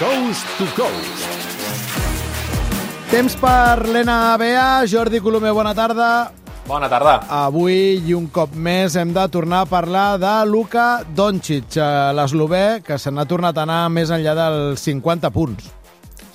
Coast to Coast. Temps per l'NBA. Jordi Colomer, bona tarda. Bona tarda. Avui i un cop més hem de tornar a parlar de Luka Doncic, l'eslovè, que se n'ha tornat a anar més enllà dels 50 punts.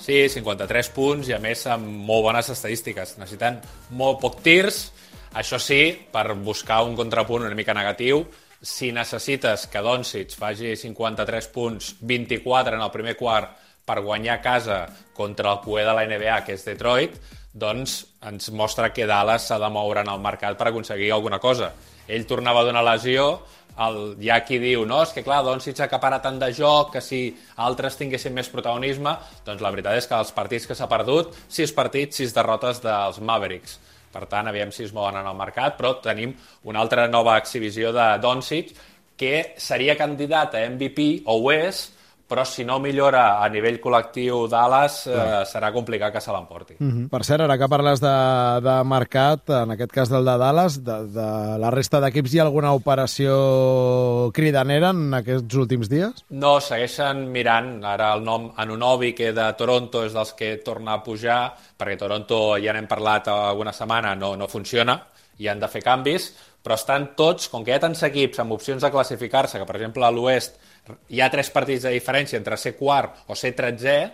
Sí, 53 punts i a més amb molt bones estadístiques. Necessiten molt poc tirs, això sí, per buscar un contrapunt una mica negatiu. Si necessites que Doncic faci 53 punts, 24 en el primer quart per guanyar a casa contra el cué de la NBA, que és Detroit, doncs ens mostra que Dallas s'ha de moure en el mercat per aconseguir alguna cosa. Ell tornava d'una lesió, hi ha qui diu, no, és que clar, Doncic acapara tant de joc que si altres tinguessin més protagonisme, doncs la veritat és que els partits que s'ha perdut, 6 partits, 6 derrotes dels Mavericks. Per tant, aviam si es mouen en el mercat, però tenim una altra nova exhibició de Doncic que seria candidat a MVP, o ho és, però si no millora a nivell col·lectiu Dallas, serà complicat que se l'emporti. Per cert, ara que parles de mercat, en aquest cas del de Dallas, de la resta d'equips, hi ha alguna operació cridanera en aquests últims dies? No, segueixen mirant. Ara el nom Anunoby, que de Toronto és dels que torna a pujar, perquè Toronto, ja n'hem parlat alguna setmana, no funciona, i han de fer canvis, però estan tots, com que hi ha tants equips amb opcions de classificar-se, que per exemple a l'Oest hi ha 3 partits de diferència entre ser quart o ser 13è,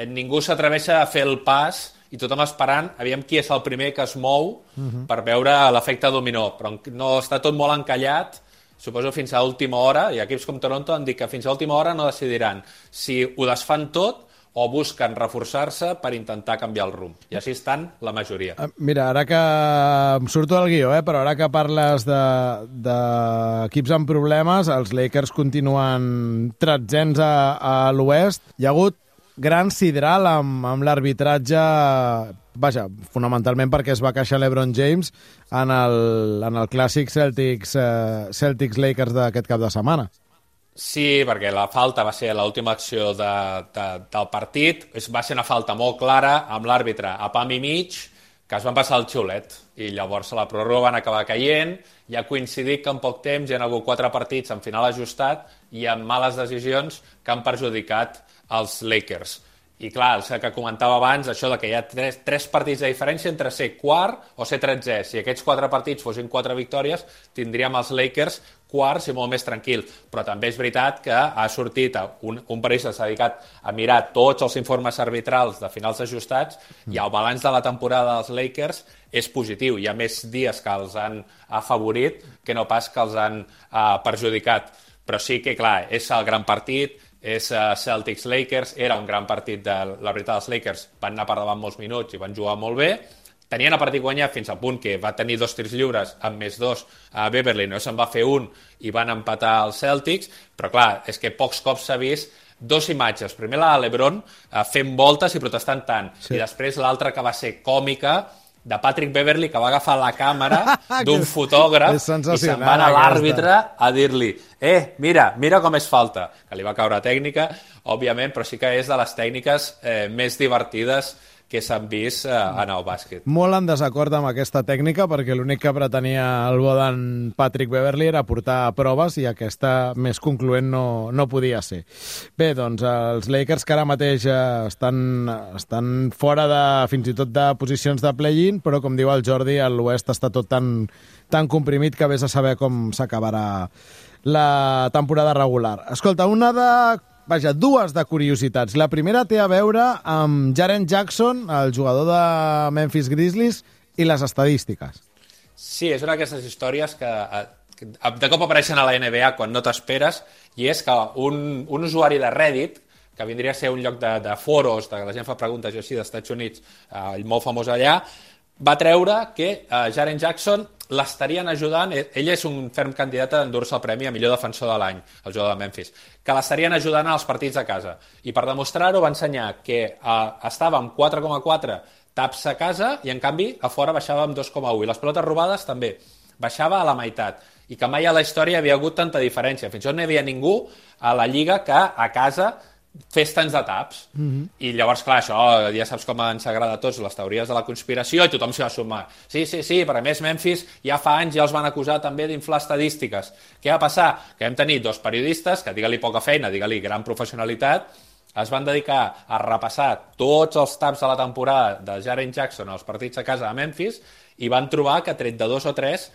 ningú s'atreveix a fer el pas i tothom esperant, aviam qui és el primer que es mou per veure l'efecte dominó, però no està tot molt encallat, suposo fins a última hora, i equips com Toronto han dit que fins a última hora no decidiran si ho desfan tot o busquen reforçar-se per intentar canviar el rumb. I així estan la majoria. Mira, ara que em surto del guió, però ara que parles d'equips amb problemes, els Lakers continuen tretzens a l'Oest. Hi ha hagut gran sidral amb l'arbitratge, vaja, fonamentalment perquè es va queixar l'Ebron James en el clàssic Celtics-Lakers d'aquest cap de setmana. Sí, perquè la falta va ser l'última acció del partit, va ser una falta molt clara amb l'àrbitre a pam i mig, que es van passar el xiulet, i llavors a la pròrroga van acabar caient, i ha coincidit que en poc temps hi ha hagut 4 partits en final ajustat i amb males decisions que han perjudicat els Lakers. I clar, el que comentava abans, això de que hi ha 3 partits de diferència entre ser quart o ser 13è. Si aquests 4 partits fossin 4 victòries, tindríem els Lakers quarts i molt més tranquil. Però també és veritat que ha sortit un periodista que s'ha dedicat a mirar tots els informes arbitrals de finals ajustats i el balanç de la temporada dels Lakers és positiu. Hi ha més dies que els han afavorit que no pas que els han perjudicat. Però sí que, clar, és el gran partit, és Celtics-Lakers, era un gran partit de la veritat. Els Lakers van anar per davant molts minuts i van jugar molt bé, tenien el partit guanyat fins al punt que va tenir 2 tirs lliures amb més 2 a Beverly, no se'n va fer un i van empatar els Celtics, però clar, és que pocs cops s'ha vist 2 imatges, primer la de l'Ebron fent voltes i protestant tant, sí. I després l'altra que va ser còmica, de Patrick Beverly, que va agafar la càmera d'un fotògraf i se'n va anar a l'àrbitre a dir-li mira com és falta, que li va caure tècnica, òbviament, però sí que és de les tècniques més divertides que s'han vist en el bàsquet. Molt en desacord amb aquesta tècnica, perquè l'únic que pretenia el bo d'en Patrick Beverly era portar proves i aquesta més concloent no podia ser. Bé, doncs els Lakers que ara mateix estan fora fins i tot de posicions de play-in, però com diu el Jordi, a l'Oest està tot tan comprimit que vés a saber com s'acabarà la temporada regular. Escolta, dues de curiositats. La primera té a veure amb Jaren Jackson, el jugador de Memphis Grizzlies, i les estadístiques. Sí, és una d'aquestes històries que de cop apareixen a la NBA quan no t'esperes, i és que un usuari de Reddit, que vindria a ser un lloc de foros, que la gent fa preguntes així d'Estats Units, molt famós allà, va treure que Jaren Jackson l'estarien ajudant, ell és un ferm candidat a endur-se el premi a millor defensor de l'any, el jugador de Memphis, que l'estarien ajudant als partits a casa. I per demostrar-ho va ensenyar que estava amb 4,4 taps a casa i en canvi a fora baixava amb 2,1. I les pilotes robades també baixava a la meitat. I que mai a la història havia hagut tanta diferència. Fins i tot no hi havia ningú a la Lliga que a casa fes tants de taps. I llavors, clar, això ja saps com ens agrada a tots les teories de la conspiració i tothom s'hi va sumar. Sí, però a més Memphis ja fa anys ja els van acusar també d'inflar estadístiques. Què va passar? Que vam tenir 2 periodistes, que digue-li poca feina, digue-li gran professionalitat, es van dedicar a repassar tots els taps de la temporada de Jaren Jackson als partits a casa de Memphis i van trobar que tret de 2 o 3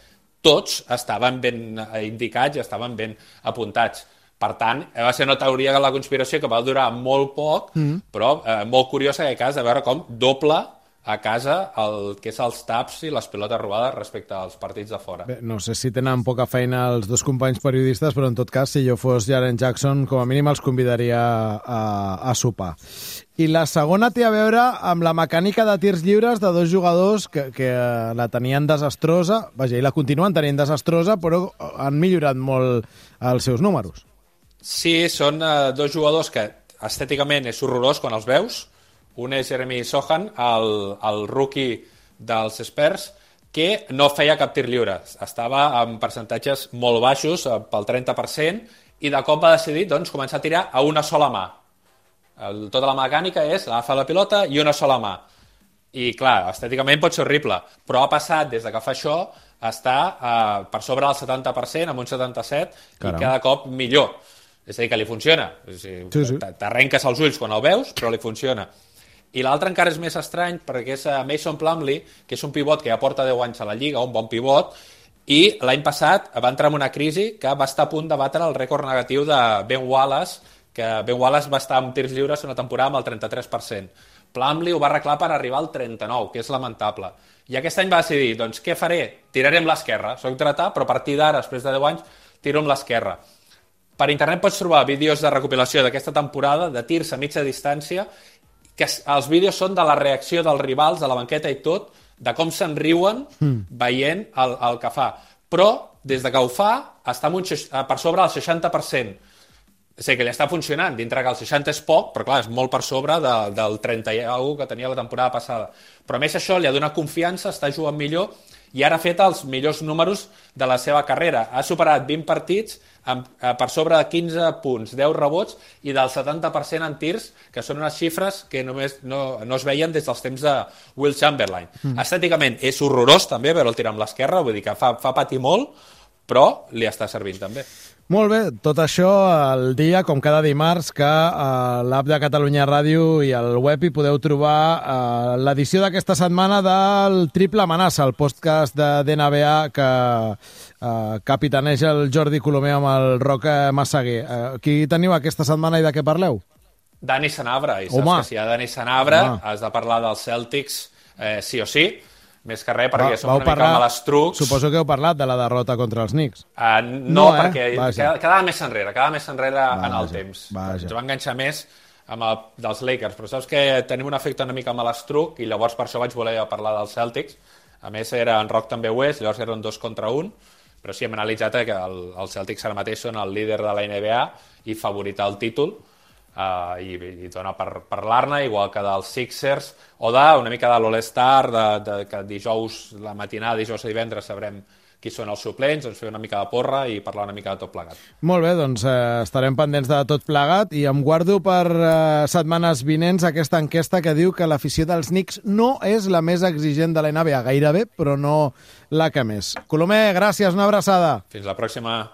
tots estaven ben indicats i estaven ben apuntats. Per tant, va ser una teoria de la conspiració que va durar molt poc, però molt curiosa en aquest cas de veure com doble a casa el que és els taps i les pilotes robades respecte als partits de fora. Bé, no sé si tenen poca feina els dos companys periodistes, però en tot cas, si jo fos Jaren Jackson, com a mínim els convidaria a sopar. I la segona té a veure amb la mecànica de tirs lliures de dos jugadors que la tenien desastrosa, vaja, i la continuen tenint desastrosa, però han millorat molt els seus números. Sí, són dos jugadors que estèticament és horrorós quan els veus. Un és Jeremy Sohan, el rookie dels Spurs, que no feia cap tir lliure. Estava en percentatges molt baixos, pel 30%, i de cop va decidir doncs, començar a tirar a una sola mà. Tota la mecànica és agafar la pilota i una sola mà. I clar, estèticament pot ser horrible, però ha passat des de que fa això a estar per sobre del 70%, amb un 77%, Caram. I cada cop millor. És a dir, que li funciona. Sí. T'arrenques els ulls quan el veus, però li funciona. I l'altre encara és més estrany perquè és Mason Plumlee, que és un pivot que ja porta 10 anys a la Lliga, un bon pivot, i l'any passat va entrar en una crisi que va estar a punt de batre el rècord negatiu de Ben Wallace, que Ben Wallace va estar amb tirs lliures una temporada amb el 33%. Plumlee ho va arreglar per arribar al 39%, que és lamentable. I aquest any va decidir, doncs què faré? Tiraré amb l'esquerra. Soc dretà, però a partir d'ara, després de 10 anys, tiro amb l'esquerra. Per internet pots trobar vídeos de recopilació d'aquesta temporada, de tirs a mitja distància, que els vídeos són de la reacció dels rivals, de la banqueta i tot, de com se'n riuen veient el que fa. Però, des de que ho fa, està per sobre del 60%. És a dir, que li està funcionant, dintre que el 60 és poc, però clar, és molt per sobre del 30 i alguna que tenia la temporada passada. Però a més això li ha donat confiança, està jugant millor i ara ha fet els millors números de la seva carrera. Ha superat 20 partits per sobre de 15 punts, 10 rebots i del 70% en tirs, que són unes xifres que només no es veien des dels temps de Will Chamberlain. Estèticament és horrorós també veure-el tirar amb l'esquerra, vull dir que fa patir molt, però li està servint també. Molt bé, tot això el dia, com cada dimarts, que a l'app de Catalunya Ràdio i al web hi podeu trobar l'edició d'aquesta setmana del Triple Amenaça, el podcast de NBA que capitaneja el Jordi Colomer amb el Roc Massaguer. Qui teniu aquesta setmana i de què parleu? Dani Sanabra, i saps que si hi ha Dani Sanabra has de parlar dels Celtics sí o sí. Més que res, perquè som una mica malastrucs. Suposo que heu parlat de la derrota contra els Knicks. No, perquè quedava més enrere en el temps. Ens va enganxar més amb dels Lakers, però saps que tenim un efecte una mica malastruc i llavors per això vaig voler parlar dels Celtics. A més, era en Roc també ho és, llavors eren 2 contra 1, però sí, hem analitzat que els Celtics ara mateix són el líder de la NBA i favorit al títol, i dona per parlar-ne, igual que dels Sixers o una mica de l'All-Star, que dijous, la matinada, dijous a divendres sabrem qui són els suplents, doncs fer una mica de porra i parlar una mica de tot plegat. Molt bé, doncs estarem pendents de tot plegat i em guardo per setmanes vinents aquesta enquesta que diu que l'afició dels Knicks no és la més exigent de la NBA, gairebé, però no la que més. Colomer, gràcies, una abraçada. Fins la pròxima.